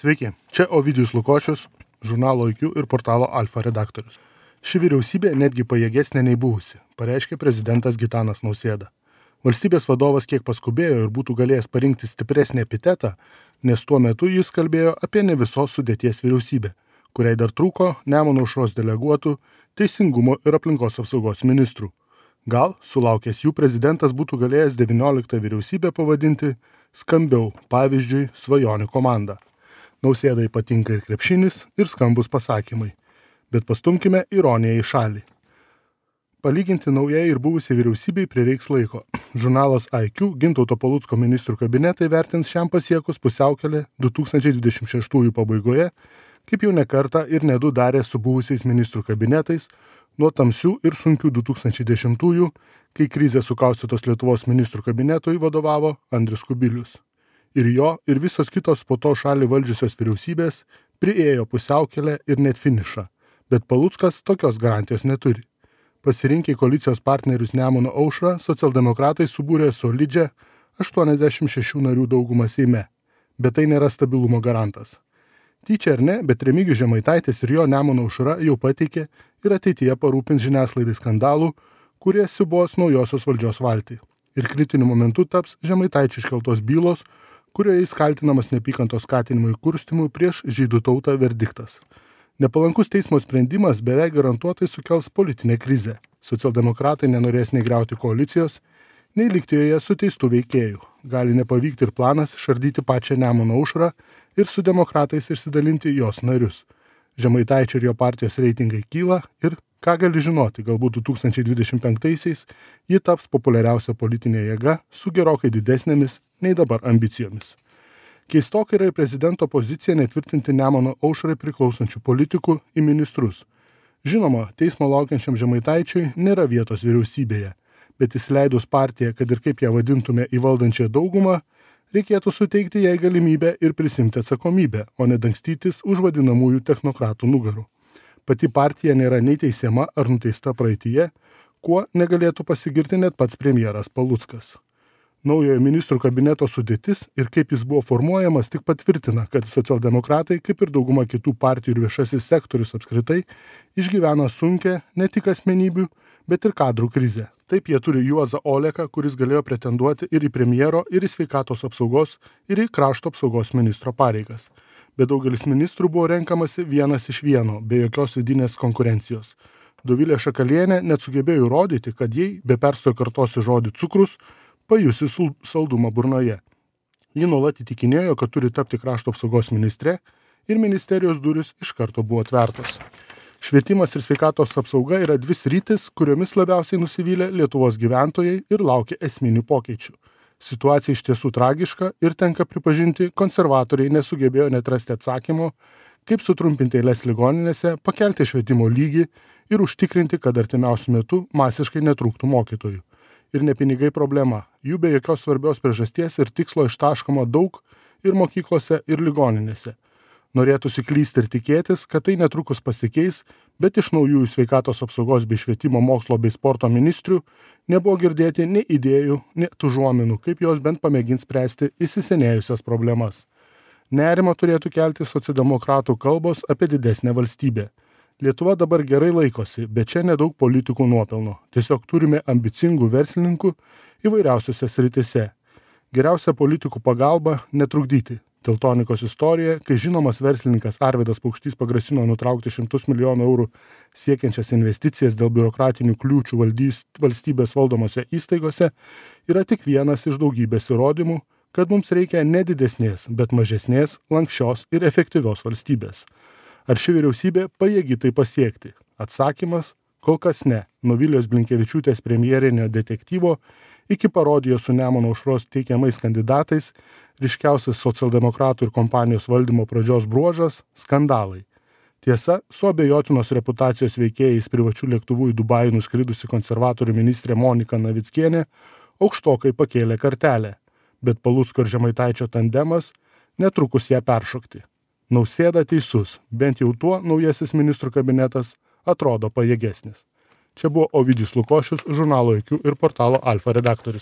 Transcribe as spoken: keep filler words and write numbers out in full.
Sveiki, čia Ovidijus Lukošius, žurnalo I Q ir portalo Alfa redaktorius. Ši vyriausybė netgi pajėgesnė nei buvusi, pareiškė prezidentas Gitanas Nausėda. Valstybės vadovas kiek paskubėjo ir būtų galėjęs parinkti stipresnį epitetą, nes tuo metu jis kalbėjo apie ne visos sudėties vyriausybę, kuriai dar trūko Nemuno aušros deleguotų, teisingumo ir aplinkos apsaugos ministrų. Gal, sulaukęs jų, prezidentas būtų galėjęs devynioliktą vyriausybę pavadinti skambiau, pavyzdžiui, svajonių komanda. Nausėdai patinka ir krepšinis, ir skambus pasakymai. Bet pastumkime ironiją į šalį. Palyginti naujai ir buvusiai vyriausybei prireiks laiko. Žurnalas I Q Gintauto Palucko ministrų kabinetai vertins šiam pasiekus pusiaukelę du tūkstančiai dvidešimt šeštųjų pabaigoje, kaip jau ne kartą ir ne du darė su buvusiais ministrų kabinetais, nuo tamsių ir sunkių du tūkstančiai dešimtųjų, kai krizė sukaustytos Lietuvos ministrų kabinetui vadovavo Andrius Kubilius. Ir jo, ir visos kitos po to šalį valdžiusios vyriausybės priėjo pusiaukelę ir net finišą, bet Paluckas tokios garantijos neturi. Pasirinkę koalicijos partnerius Nemuno aušrą, socialdemokratai subūrė solidžią aštuoniasdešimt šešių narių daugumą Seime, bet tai nėra stabilumo garantas. Tyčia ar ne, bet Remigijus Žemaitaitis ir jo Nemuno aušra jau pateikė ir ateityje parūpins žiniasklaidai skandalų, kurie siūbos naujosios valdžios valtį. Ir kritiniu momentu taps Žemaitaičio iškeltos bylos, kurioje jis kaltinamas neapykantos skatinimui kurstimui prieš žydų tautą verdiktas. Nepalankus teismo sprendimas beveik garantuotai sukels politinę krizę. Socialdemokratai nenorės nei griauti koalicijos, nei likti joje su teistų veikėjų. Gali nepavykti ir planas išardyti pačią Nemuno aušrą ir su demokratais išsidalinti jos narius. Žemaitaičio ir jo partijos reitingai kyla ir, ką gali žinoti, galbūt du tūkstančiai dvidešimt penktaisiais ji taps populiariausia politinė jėga su gerokai didesnėmis nei dabar ambicijomis. Keistokai yra ir prezidento pozicija netvirtinti Nemuno aušrai priklausančių politikų į ministrus. Žinoma, teismo laukiančiam Žemaitaičiui nėra vietos vyriausybėje, bet įsileidus partiją, kad ir kaip ją vadintume į valdančią daugumą, reikėtų suteikti jai galimybę ir prisimti atsakomybę, o ne dangstytis už vadinamųjų technokratų nugarų. Pati partija nėra nei teisiama ar nuteista praeityje, kuo negalėtų pasigirti net pats premjeras Paluckas. Naujojo ministrų kabineto sudėtis ir kaip jis buvo formuojamas tik patvirtina, kad socialdemokratai, kaip ir dauguma kitų partijų ir viešasis sektorius apskritai, išgyvena sunkią ne tik asmenybių, bet ir kadrų krizę. Taip jie turi Juozą Oleką, kuris galėjo pretenduoti ir į premjero, ir į sveikatos apsaugos, ir į krašto apsaugos ministro pareigas. Bet daugelis ministrų buvo renkamasi vienas iš vieno, be jokios vidinės konkurencijos. Dovilė Šakalienė net sugebėjo įrodyti, kad jei be perstojo kartosiu žodį cukrus, pajusi saldumą burnoje. Ji nuolat įtikinėjo, kad turi tapti krašto apsaugos ministre ir ministerijos durys iš karto buvo atvertos. Švietimas ir sveikatos apsauga yra dvi sritis, kuriomis labiausiai nusivylė Lietuvos gyventojai ir laukia esminių pokyčių. Situacija iš tiesų tragiška ir tenka pripažinti, konservatoriai nesugebėjo net rasti atsakymo, kaip sutrumpinti eiles ligoninėse, pakelti švietimo lygį ir užtikrinti, kad artimiausiu metu masiškai netrūktų mokytojų. Ir ne pinigai problema, jų be jokios svarbios priežasties ir tikslo ištaškoma daug ir mokyklose, ir ligoninėse. Norėtųsi klysti ir tikėtis, kad tai netrukus pasikeis, bet iš naujųjų sveikatos apsaugos bei švietimo mokslo bei sporto ministrių nebuvo girdėti nei idėjų, nei užuominų, kaip jos bent pamėgins spręsti įsisenėjusias problemas. Nerimą turėtų kelti socialdemokratų kalbos apie didesnę valstybę. Lietuva dabar gerai laikosi, bet čia nedaug politikų nuopelno. Tiesiog turime ambicingų verslininkų įvairiausiose sritise. Geriausia politikų pagalba netrukdyti. Teltonikos istorija, kai žinomas verslininkas Arvydas Paukštys pagrasino nutraukti šimtus milijonų eurų siekiančias investicijas dėl biurokratinių kliūčių valdys, valstybės valdomose įstaigose, yra tik vienas iš daugybės įrodymų, kad mums reikia ne didesnės, bet mažesnės, lankščios ir efektyvios valstybės. Ar ši vyriausybė pajėgi tai pasiekti? Atsakymas – kol kas ne. Nuo Vilijos Blinkevičiūtės premjerinio detektyvo iki parodijos su Nemuno aušros teikiamais kandidatais ryškiausias socialdemokratų ir kompanijos valdymo pradžios bruožas – skandalai. Tiesa, su abejotinos reputacijos veikėjais privačių lėktuvų į Dubajų nuskridusi konservatorių ministrė Monika Navickienė aukštokai pakėlė kartelę, bet Palucko ir Žemaitaičio tandemas netrukus ją peršokti. Nausėda teisus, bent jau tuo naujasis ministrų kabinetas atrodo pajėgesnis. Čia buvo Ovidijus Lukošius, žurnalo I Q ir portalo Alfa redaktorius.